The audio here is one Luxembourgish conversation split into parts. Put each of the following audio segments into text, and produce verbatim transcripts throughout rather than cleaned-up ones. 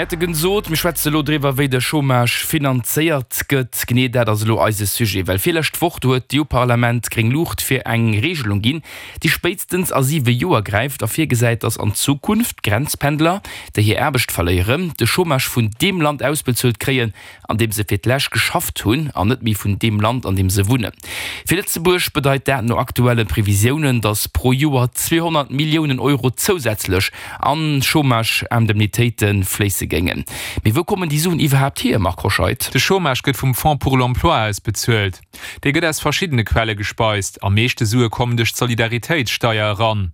Mir hate gesot, mir schwätze elo driwwer, wéi de Chômage finanzéiert gëtt. Genee dat ass elo eise Sujet, well virlescht Woch, do huet d'EU-Parlament gréng Luucht fir eng Regelung ginn, déi spéitstens a siwe Joer gräift a virgesäit, datt an Zukunft d'Grenzpendler, déi hir Aarbecht verléieren, de Chômage vun deem Land ausbezuelt kréien, an deem se fir d'lescht geschafft hunn, an net méi vun deem Land, an deem se wunnen. Fir Lëtzebuerg bedeit dat no aktuelle Previsiounen, datt pro Joer zweehonnert Milliounen Euro zousätzlech an Chômage-Indemnitéite fléisse géingen. Mee wou kommen déi Suen iwwerhaapt hier, Marc Hoscheid? De Chômage gëtt vum Fonds pour l'emploi ausbezuelt. Dee gëtt aus verschiddene Quelle gespeist. Am meeschte Sue kommen duerch d'Solidaritéitssteier eran.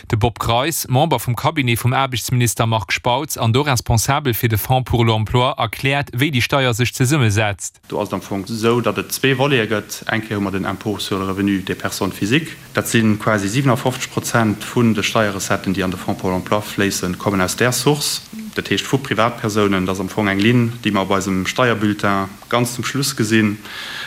De Bob Greis, Member vum Cabinet vum Aarbechtsminister Marc Spautz an do responsabel fir de Fonds pour l'emploi, erkläert, wéi déi Steier sech zesummesetzt. Do ass et am Fong esou, datt et zwee Volete gëtt. Eng Kéier hu mer den Impôt sur le revenu des personnes physiques. Dat si quasi siwenafofzeg Prozent vun de Steierrecetten, déi an de Fonds pour l'emploi fléissen, kommen aus där Source, dat heescht vu Privatpersounen. Dat ass am Fong eng Linn, déi mer op eisem Steierbulletin ganz zum Schluss gesinn,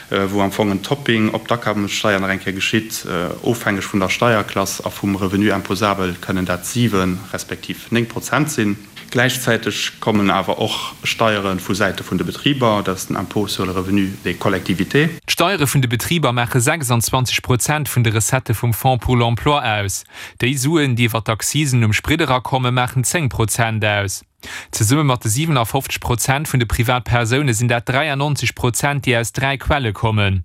wou am Fong en Topping op d'Akommessteier nach eng Kéier geschitt. Ofhängeg vun der Steierklass a vum Revenu imposable kënnen dat siwe respektiv néng Prozent sinn. Gläichzäiteg kommen awer och Steiere vu Säite vun de Betriber, dat ass den Impôt sur le revenu des collectivités. D'Steiere vun de Betriber maache sechsanzwanzeg Prozent vun de Recettë vum Fonds pour l'emploi aus. Déi Suen, déi iwwer d'Accisen um Sprit erakommen, maachen zéng Prozent aus. Zesumme mat de siwenafofzeg Prozent vun de Privatpersoune sinn dat dräiannonzeg Prozent, déi aus dräi Quelle kommen.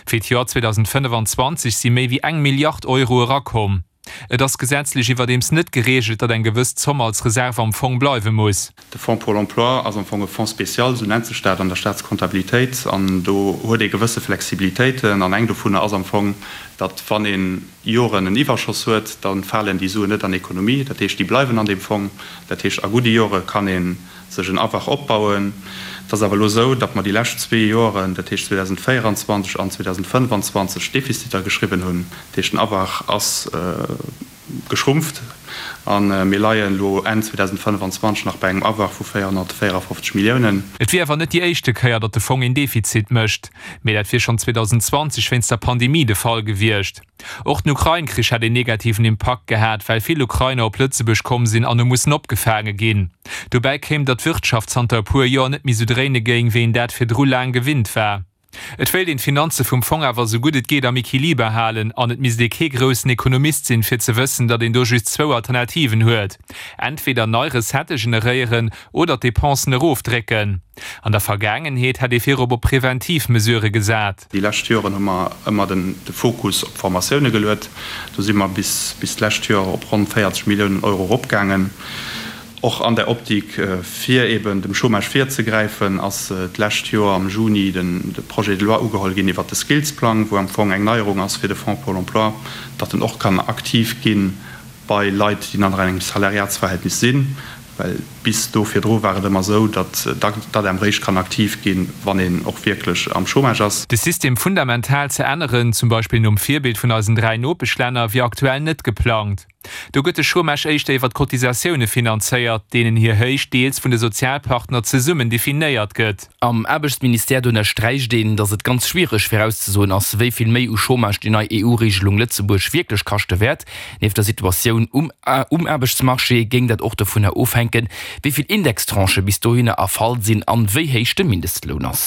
Fir d'Joer zweedausendfënnefenzwanzeg si méi wéi eng Milliard Euro erakomm. Et ass gesetzlech iwwerdeems net gereegelt, datt eng gewëss Zomm als Reserv am Fong bleiwe muss. De Fonds pour l'emploi ass am Fong e Fonds spécial, esou nennt sech dat an der Staatskontabilitéit, an do huet ee gewësse Flexibilitéiten. An eng dovunner ass am Fong, datt wann ee Joren en Iwwerschoss huet, da falen déi Suen net an Ekonomie, dat heescht, déi bleiwen an deem Fong. Dat heescht, a gudde Jore kann ee sech en Awach opbauen. Et ass awer elo esou, datt mer déi lescht zwee Joren, dat heescht zweedausendvéieranzwanzeg an zweedausendfënnefanzwanzeg, Defiziter geschriwwen hunn. Dat heescht, den Awach ass geschrumpft a mir leien elo Enn zweedausendfënnefanzwanzeg nach bei engem Awach vu véierhonnertvéierafofzeg Milliounen. Et wier awer net déi éischte Kéier, datt de Fong een Defizit mécht, mee dat wier schonn zweedausendzwanzeg wéinst der Pandemie de Fall gewiescht. Och den Ukrain-Krich hätt een negativen Impakt gehat, well vill Ukrainer op Lëtzebuerg komm sinn an hu mussen opgefaange ginn. Dobäi kéim, datt d'Wirtschaft zanter e puer Joer net méi sou dréine géing, wéi een dat virdru laang gewinnt war. Et wéilt een d'Finanze vum Fong awer sou gutt et geet am Equiliber halen an et misst ee kee groussen Ekonomist sinn, fir ze wëssen, datt een do just zwou Alternativen huet, entweder nei Recettë generéieren oder d'Depensen erofdrécken. An der Vergaangenheet hätt ee virop op preventiv Mesurë gesat. Déi lescht Joren hu mer ëmmer de Fokus op Formatioune geluet. Do si mer bis d'lescht Joer op ronn véierzeg Milliounen Euro eropgaangen. Och an der Optik, fir eben dem Chômage virzegräifen, ass d'lescht Joer am Juni de Projet de loi ugeholl ginn iwwert de Skillsplang, wou am Fong eng Neierung ass fir de Fonds pour l'emploi, datt en och kann aktiv gi bei Leit, déi nach an engem Salariatsverhältnis sinn. Well bis do virdru war et ëmmer esou, datt d'ADEM réischt kann aktiv ginn, wann een och wierklech am Chômage ass. De System fundamental ze änneren, zum Beispill nom Virbild vun eisen dräi Nopeschlänner, wier aktuell net geplangt. Do gëtt de Chômage éischter iwwer d'Cotisatioune finanzéiert, deenen hir Héicht deels vun de Sozialpartner zesummen definéiert gëtt. Am Aarbechtsministère do ënnersträicht een, datt et ganz schwiereg virauszesoen ass, wéi vill méi u Chômage déi nei E U-Reegelung Lëtzebuerg wierklech kaschte wäert. Nieft der Situatioun um um Aarbechtsmarché géing dat och dovunner ofhänken, wéi vill Indextranchë bis dohinner erfall sinn an wéi héich de Mindestloun ass.